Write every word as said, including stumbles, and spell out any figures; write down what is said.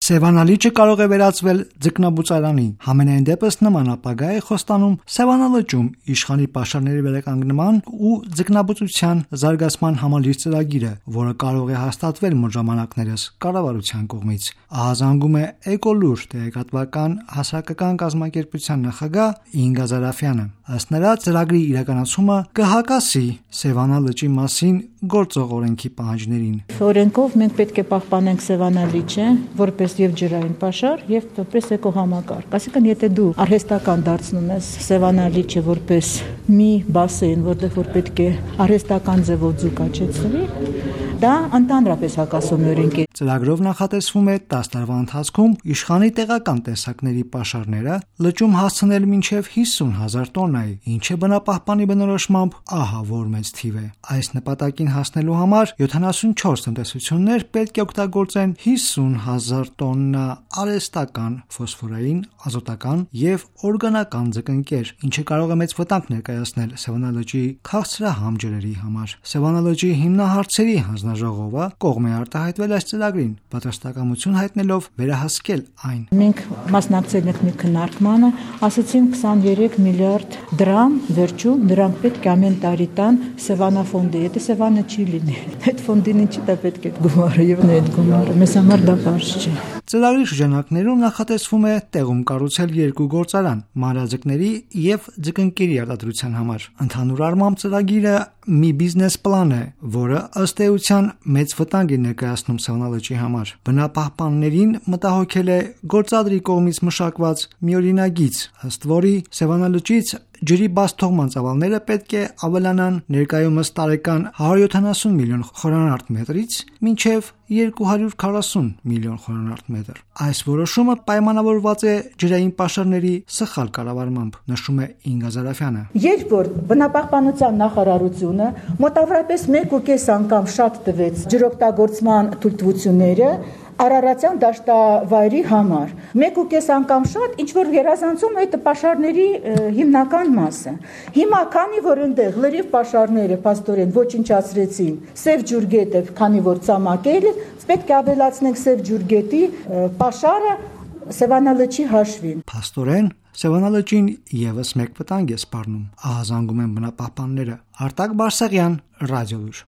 Սևանալիճը կարող է վերածվել ձկնաբուծարանի։ Համենայն դեպս նման ապագա է խոստանում Սևանալճում իշխանի պաշարների վերականգնման ու ձկնաբուծության զարգացման համալիր ծրագիրը, որը կարող է հաստատվել մոտ ժամանակներս կառավարության կողմից։ Ահազանգում է Էկոլուր տեղեկատվական հասարակական կազմակերպության նախագահ Ինգա Զարաֆյանը։ Ըստ նրա, ծրագրի իրականացումը կհակասի Սևանալճի մասին գործող օրենքի պահանջներին։ Օրենքով մենք պետք է պահպանենք Սևանալիճը որպես եւ ջրային պաշար եւ որպես էկոհամակարգ։ Այսինքն, եթե դու արհեստական դարձնում ես Սևանալիճը որպես մի բասեին, որտեղ որ պետք է արհեստական ձևով ձուկ աճեցվի, դա ընդհանրապես հակասում է օրենքի։ Ծրագրով նախատեսվում է դસ տարվա ընթացքում իշխանի տեղական տեսակների պաշարները լճում հասցնել մինչև հիսուն հազար տոննայի, ինչը բնապահպանի բնորոշմամբ ահա որ մեծ թիվ է։ Այս նպատակին հասնելու համար յոթանասունչորս տնտեսություններ պետք է օգտագործեն հիսուն հազար տոննա արհեստական, ֆոսֆորային, ազոտական եւ օրգանական ձկնկեր, ինչը կարող է մեծ վտանգ ներկայացնել Սևանալճի քաղցրահամ ջրերի համար։ Սևանալճի հիմնահարցերի հանձնաժողովը կողմ է արտահայտվել այս ծրագրին, պատրաստակամություն հայտնելով վերահսկել այն։ Մենք մասնակցել ենք մի քննարկմանը, ասացին քսաներեք միլիարդ դրամ վերջում նրանք պետք է ամեն տարի տան Սևանա ֆոնդի, եթե Սևանը չի լինի, այդ ֆոնդին ինչի դա պետք է գումարը եւ նա այդ գումարը, մեզ համար դա բարձ չէ։ Ծրագրի շրջանակներում նախատեսվում է տեղում կառուցել երկու գործարան՝ մանրաձկների եւ ձկնկերի արտադրության համար։ Ընդհանուր առմամբ ծրագիրը մի բիզնես պլան է, որը ըստ էության մեծ վտանգ է ներկայացնում Սևանալճի համար։ Բնապահպաններին մտահոգել է գործադրի կողմից մշակված մի օրինագիծ, ըստ որի Սևանալճից ջրի բաց թողման ծավալները պետք է ավելանան ներկայումս տարեկան հարյուր յոթանասուն միլիոն խորանարդ մետրից մինչև երկու հարյուր քառասուն միլիոն խորանարդ մետր։ Այս որոշումը պայմանավորված է ջրային պաշարների սխալ կառավարմամբ, նշում է Ինգա Զարաֆյանը։ Երբ որ բնապահպանության նախարարությունը մոտավորապես մեկ ու կես անգամ շատ տվեց ջրօգտագործման թույլտվությունները Արարատյան դաշտավայրի համար, մեկ ու կես անգամ շատ, ինչ որ գերազանցում է այդ պաշարների հիմնական մասը։ Հիմա քանի որ այնտեղ լրիվ պաշարները փաստորեն ոչնչացրեցին Սև ջուրգետը, քանի որ ցամաքել է, պետք է ավելացնենք Սև ջուրգետի պաշարը Սևանալճի հաշվին։ Փաստորեն Սևանալճին եւս մեկ վտանգ է սպառնում, ահազանգում են բնապահպանները։ Արտակ Բարսեղյան, Ռադիոլուր։